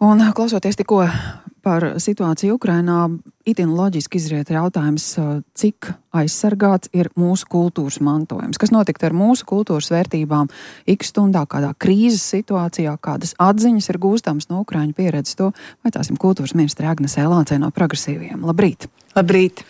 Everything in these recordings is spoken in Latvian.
Un klausoties tikko par situāciju Ukrainā, itin loģiski izriet jautājums, cik aizsargāts ir mūsu kultūras mantojums. Kas notikt ar mūsu kultūras vērtībām X stundā, kādā krīzes situācijā, kādas atziņas ir gūstams no Ukraiņu pieredzes, to vaicāsim kultūras ministre Agnese Lācei no Progresīviem. Labrīt! Labrīt!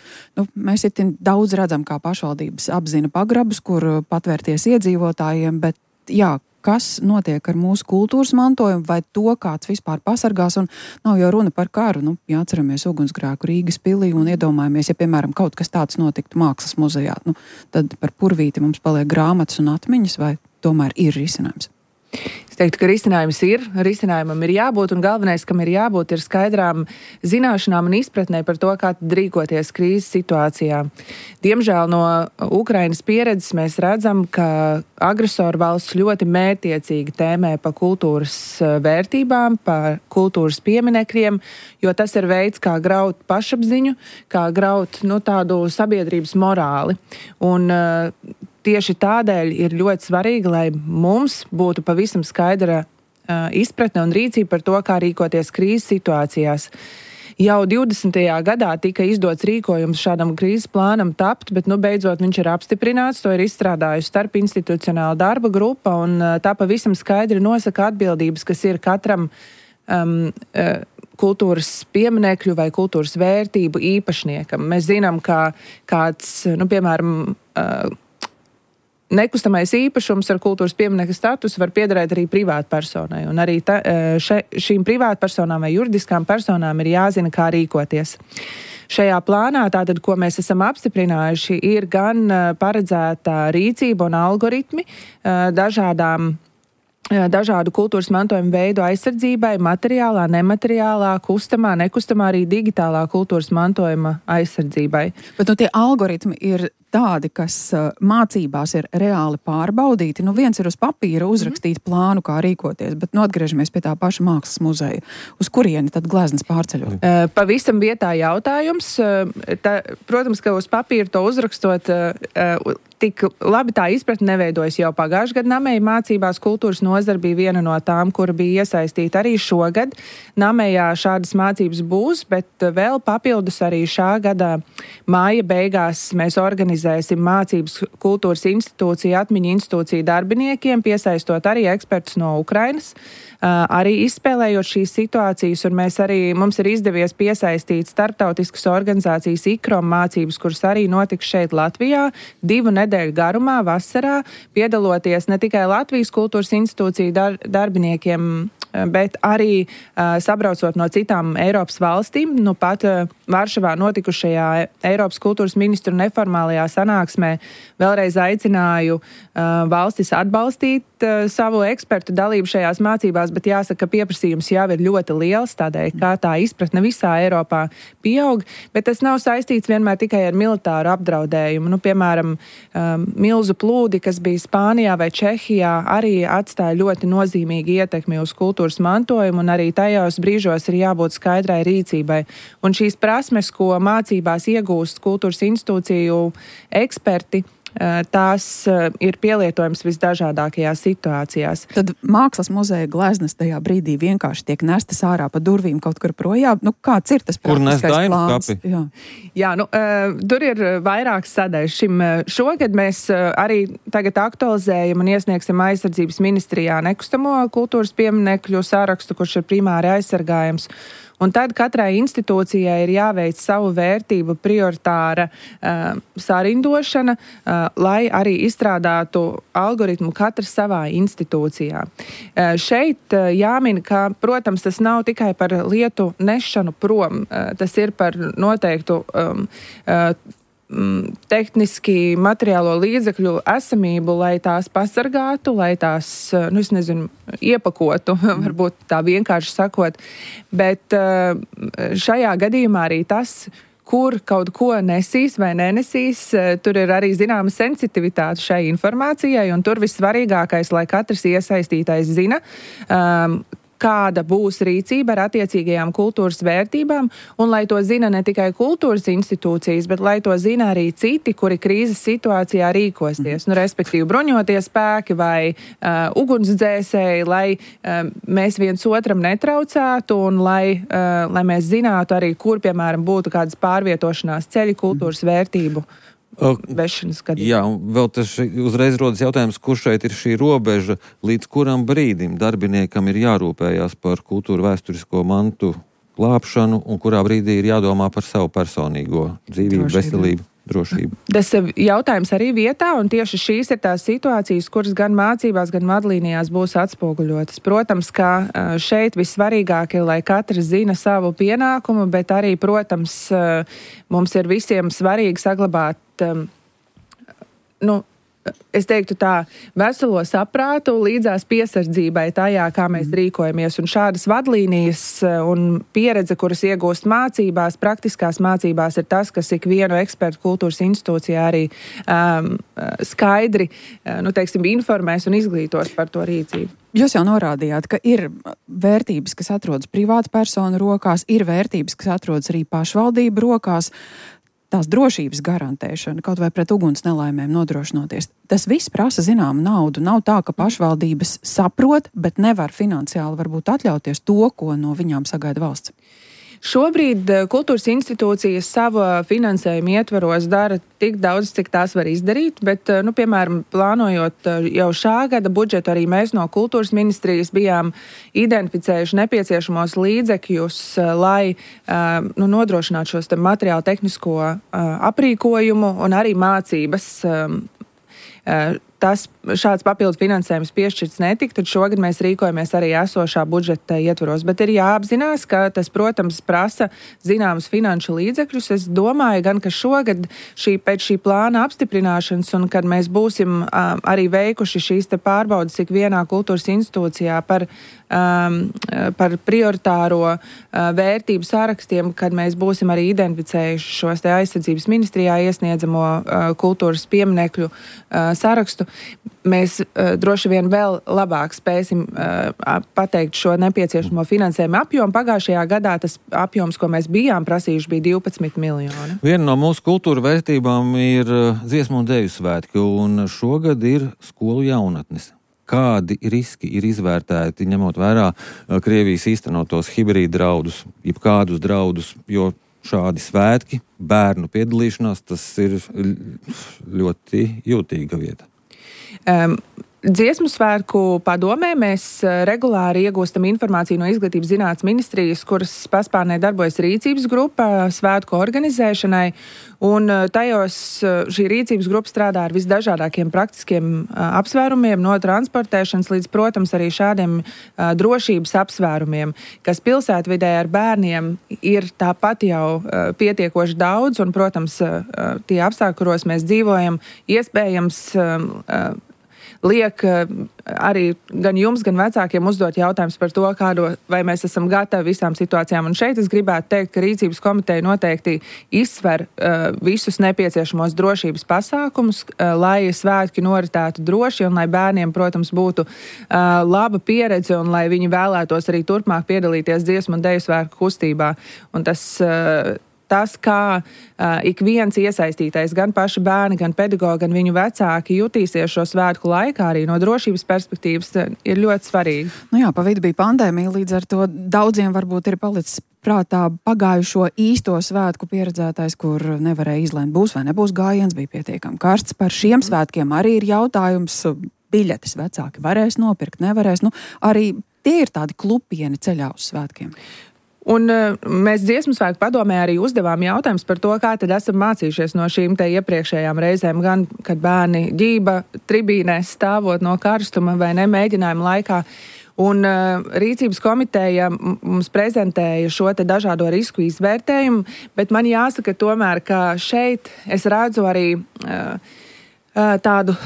Mēs itin daudz redzam, kā pašvaldības apzina pagrabus, kur patvērties iedzīvotājiem, bet jā, kas notiek ar mūsu kultūras mantojumu, vai to kāds vispār pasargās, un nav jau runa par karu. Jāatceramies ugunsgrēku Rīgas pilī un iedomājamies, ja, piemēram, kaut kas tāds notiktu mākslas muzejā, tad par purvīti mums paliek grāmatas un atmiņas, vai tomēr ir risinājums? Es teiktu, ka risinājumam ir jābūt, un galvenais, kam ir jābūt, ir skaidrām zināšanām un izpratnē par to, kā rīkoties krīzes situācijā. Diemžēl no Ukrainas pieredzes mēs redzam, ka agresoru valsts ļoti mērķiecīgi tēmē pa kultūras vērtībām, pa kultūras pieminekļiem, jo tas ir veids, kā graut pašapziņu, kā graut tādu sabiedrības morāli. Un tieši tādēļ ir ļoti svarīgi, lai mums būtu pavisam skaidra izpratne un rīcība par to, kā rīkoties krīzes situācijās. Jau 20. gadā tika izdots rīkojums šādam krīzes plānam tapt, bet beidzot viņš ir apstiprināts, to ir izstrādājusi starpinstitucionāla darba grupa, un tā pavisam skaidri nosaka atbildības, kas ir katram kultūras pieminekļu vai kultūras vērtību īpašniekam. Mēs zinām, ka kāds, piemēram, nekustamais īpašums ar kultūras pieminekļa statusu var piederēt arī privātpersonai. Un arī šīm privātpersonām vai juridiskām personām ir jāzina, kā rīkoties. Šajā plānā, tātad, ko mēs esam apstiprinājuši, ir gan paredzēta rīcība un algoritmi dažādu kultūras mantojuma veidu aizsardzībai, materiālā, nemateriālā, kustamā, nekustamā, arī digitālā kultūras mantojuma aizsardzībai. Bet tie algoritmi ir tādi, kas mācībās ir reāli pārbaudīti. Viens ir uz papīra uzrakstīt plānu, kā rīkoties, bet atgriežamies pie tā paša mākslas muzeja. Uz kurieni tad gleznas pārceļot? Pavisam vietā jautājums. Protams, ka uz papīra to uzrakstot, tik labi tā izpratne neveidojas jau pagājušajā gadā. Namēja mācībās kultūras nozara bija viena no tām, kura bija iesaistīta arī šogad. Namējā šādas mācības būs, bet vēl papildus arī šā gada māja beigās mēs organizēsim mācības kultūras institūciju, atmiņu institūciju darbiniekiem, piesaistot arī ekspertus no Ukrainas, arī izspēlējot šīs situācijas, un mums ir izdevies piesaistīt starptautiskas organizācijas IKROM mācības, kuras arī notiks šeit Latvijā 2 nedēļu garumā, vasarā, piedaloties ne tikai Latvijas kultūras institūciju darbiniekiem, bet arī sabraucot no citām Eiropas valstīm. Pat Varšavā notikušajā Eiropas kultūras ministru neformālajā sanāksmē vēlreiz aicināju valstis atbalstīt savu ekspertu dalību šajās mācībās, bet jāsaka, ka pieprasījums jau ir ļoti liels, tādēļ, kā tā izpratne visā Eiropā pieaug, bet tas nav saistīts vienmēr tikai ar militāru apdraudējumu. Piemēram, milzu plūdi, kas bija Spānijā vai Čehijā, arī atstāja ļoti nozīmīgi ietekmi uz kultūras mantojumu, un arī tajos brīžos ir jābūt skaidrai rīcībai. Un šīs prasmes, ko mācībās iegūst kultūras institūciju eksperti, tās ir pielietojams visdažādākajās situācijās. Tad mākslas muzeja gleznas tajā brīdī vienkārši tiek nestas ārā pa durvīm kaut kur projām. Kāds ir tas praktiskais plāns? Jā, tur ir vairākas sadaļas. Šogad mēs arī tagad aktualizējam un iesniegsim aizsardzības ministrijā nekustamo kultūras pieminekļu sarakstu, kurš ir primāri aizsargājams. Un tad katrai institūcijai ir jāveic savu vērtību prioritāra sarindošana, lai arī izstrādātu algoritmu katrs savā institūcijā. Šeit jāmin, ka, protams, tas nav tikai par lietu nešanu prom, tas ir par noteiktu tehniski materiālo līdzekļu esamību, lai tās pasargātu, lai tās, iepakotu, varbūt tā vienkārši sakot. Bet šajā gadījumā arī tas, kur kaut ko nesīs vai nenesīs, tur ir arī zināma sensitivitāte šai informācijai, un tur vissvarīgākais, lai katrs iesaistītais zina, kāda būs rīcība ar attiecīgajām kultūras vērtībām, un lai to zina ne tikai kultūras institūcijas, bet lai to zina arī citi, kuri krīzes situācijā rīkosies. Respektīvi bruņoties spēki vai ugunsdzēsēji, lai mēs viens otram netraucētu un lai mēs zinātu arī, kur, piemēram, būtu kādas pārvietošanās ceļi kultūras vērtību vešanas gadījumā. Jā, un vēl tas uzreiz rodas jautājums, kur šeit ir šī robeža, līdz kuram brīdim darbiniekam ir jārūpējās par kultūru vēsturisko mantu glābšanu un kurā brīdī ir jādomā par savu personīgo dzīvību, veselību, drošību. Tas jautājums arī vietā, un tieši šīs ir tās situācijas, kuras gan mācībās, gan vadlīnijās būs atspoguļotas. Protams, ka šeit vissvarīgāk ir, lai katrs zina savu pienākumu, bet arī, protams, mums ir visiem svarīgi saglabāt es teiktu tā, veselo saprātu līdzās piesardzībai tajā, kā mēs rīkojamies. Un šādas vadlīnijas un pieredze, kuras iegūst mācībās, praktiskās mācībās, ir tas, kas ikvienu ekspertu kultūras institūcijā arī skaidri, informēs un izglītos par to rīcību. Jūs jau norādījāt, ka ir vērtības, kas atrodas privāta personu rokās, ir vērtības, kas atrodas arī pašvaldību rokās. Tās drošības garantēšana, kaut vai pret uguns nelaimēm nodrošinoties. Tas viss prasa zināmu naudu. Nav tā, ka pašvaldības saprot, bet nevar finansiāli varbūt atļauties to, ko no viņām sagaida valsts. Šobrīd kultūras institūcijas savu finansējumu ietvaros dara tik daudz, cik tās var izdarīt, bet, piemēram, plānojot jau šā gada budžetu, arī mēs no kultūras ministrijas bijām identificējuši nepieciešamos līdzekļus, lai nodrošinātu šos materiālu tehnisko aprīkojumu un arī mācības. Šāds papildus finansējums piešķirts netika, tad šogad mēs rīkojamies arī esošā budžeta ietvaros. Bet ir jāapzinās, ka tas, protams, prasa zināmus finanšu līdzekļus. Es domāju gan, ka šogad pēc šī plāna apstiprināšanas un kad mēs būsim arī veikuši šīs te pārbaudas ikvienā kultūras institūcijā par prioritāro vērtību sarakstiem, kad mēs būsim arī identificējuši šos te aizsardzības ministrijā iesniedzamo kultūras pieminekļu sarakstu, mēs droši vien vēl labāk spēsim pateikt šo nepieciešamo finansējumu apjomu. Pagājušajā gadā tas apjoms, ko mēs bijām prasījuši, bija 12 miljoni. Viena no mūsu kultūra vērtībām ir dziesmu un deju svētki, un šogad ir skolu jaunatnes. Kādi riski ir izvērtēti, ņemot vērā Krievijas īstenotos hibrīda draudus, jebkādus draudus, jo šādi svētki, bērnu piedalīšanās, tas ir ļoti jūtīga vieta. Dziesmu svētku padomē mēs regulāri iegūstam informāciju no Izglītības zinātnes ministrijas, kuras paspārnē darbojas rīcības grupa svētku organizēšanai, un tajos šī rīcības grupa strādā ar visdažādākiem praktiskiem apsvērumiem, no transportēšanas līdz, protams, arī šādiem drošības apsvērumiem, kas pilsētvidē ar bērniem ir tāpat jau pietiekoši daudz, un, protams, tie apstākļi, kuros mēs dzīvojam, iespējams liek arī gan jums, gan vecākiem uzdot jautājums par to, vai mēs esam gatavi visām situācijām. Un šeit es gribētu teikt, ka rīcības komiteja noteikti izsver visus nepieciešamos drošības pasākumus, lai svētki noritētu droši un lai bērniem, protams, būtu laba pieredze un lai viņi vēlētos arī turpmāk piedalīties dziesmu un deju svētku kustībā. Un tas, kā ik viens iesaistītais, gan paši bērni, gan pedagogi, gan viņu vecāki jutīsies šo svētku laikā, arī no drošības perspektīvas, ir ļoti svarīgi. Pa vidu bija pandēmija, līdz ar to daudziem varbūt ir palicis prātā pagājušo īsto svētku pieredzētais, kur nevarēja izlēmt, būs vai nebūs gājiens, bija pietiekami karsts. Par šiem svētkiem arī ir jautājums, biļetes vecāki varēs nopirkt, nevarēs. Arī tie ir tādi klupieni ceļā uz svētkiem. Un mēs dziesmu svētku padomē arī uzdevām jautājums par to, kā tad esam mācījušies no šīm te iepriekšējām reizēm, gan kad bērni ģība tribīnēs stāvot no karstuma vai ne mēģinājuma laikā. Un rīcības komiteja mums prezentēja šo te dažādo risku izvērtējumu, bet man jāsaka tomēr, ka šeit es redzu arī tādu...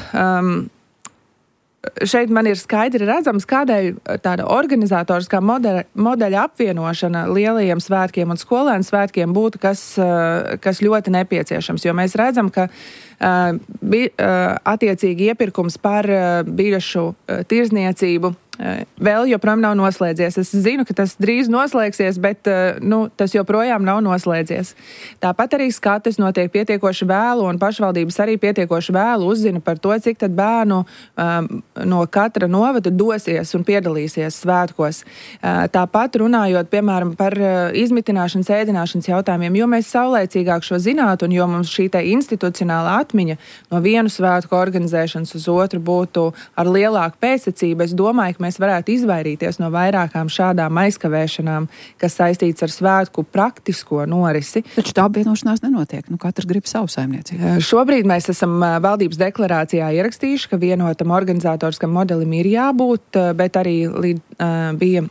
Šeit man ir skaidri redzams, kādēļ tāda organizatoriskā modeļa apvienošana lielajiem svētkiem un skolēnu svētkiem būtu kas ļoti nepieciešams. Jo mēs redzam, ka Attiecīgi iepirkums par biļešu tirzniecību vēl joprojām nav noslēdzies. Es zinu, ka tas drīz noslēgsies, bet tas joprojām nav noslēdzies. Tāpat arī skates notiek pietiekoši vēlu, un pašvaldības arī pietiekoši vēlu uzzina par to, cik tad bērnu no katra novada dosies un piedalīsies svētkos. Tāpat runājot, piemēram, par izmitināšanas, ēdināšanas jautājumiem, jo mēs saulēcīgāk šo zinātu, un jo mums šī te institucionāla atmiņa no vienu svētku organizēšanas uz otru būtu ar lielāku pēcsacību, es domāju, ka mēs varētu izvairīties no vairākām šādām aizkavēšanām, kas saistīts ar svētku praktisko norisi. Taču tā apvienošanās nenotiek. Katrs grib savu saimniecību. Šobrīd mēs esam valdības deklarācijā ierakstījuši, ka vienotam organizatoriskam modelim ir jābūt, bet arī bija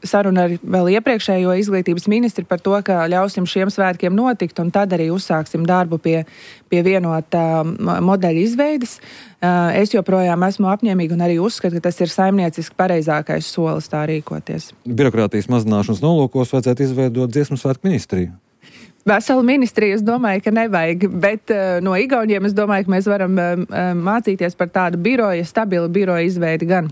saruna ar vēl iepriekšējo izglītības ministri par to, ka ļausim šiem svētkiem notikt, un tad arī uzsāksim darbu pie vienotā modeļa izveides. Es joprojām esmu apņēmīga un arī uzskatu, ka tas ir saimnieciski pareizākais solis tā rīkoties. Birokrātijas mazināšanas nolūkos vajadzētu izveidot dziesmu svētku ministriju. Veselu ministriju es domāju, ka nevajag, bet no Igauniem es domāju, ka mēs varam mācīties par tādu stabilu biroja izveidi gan.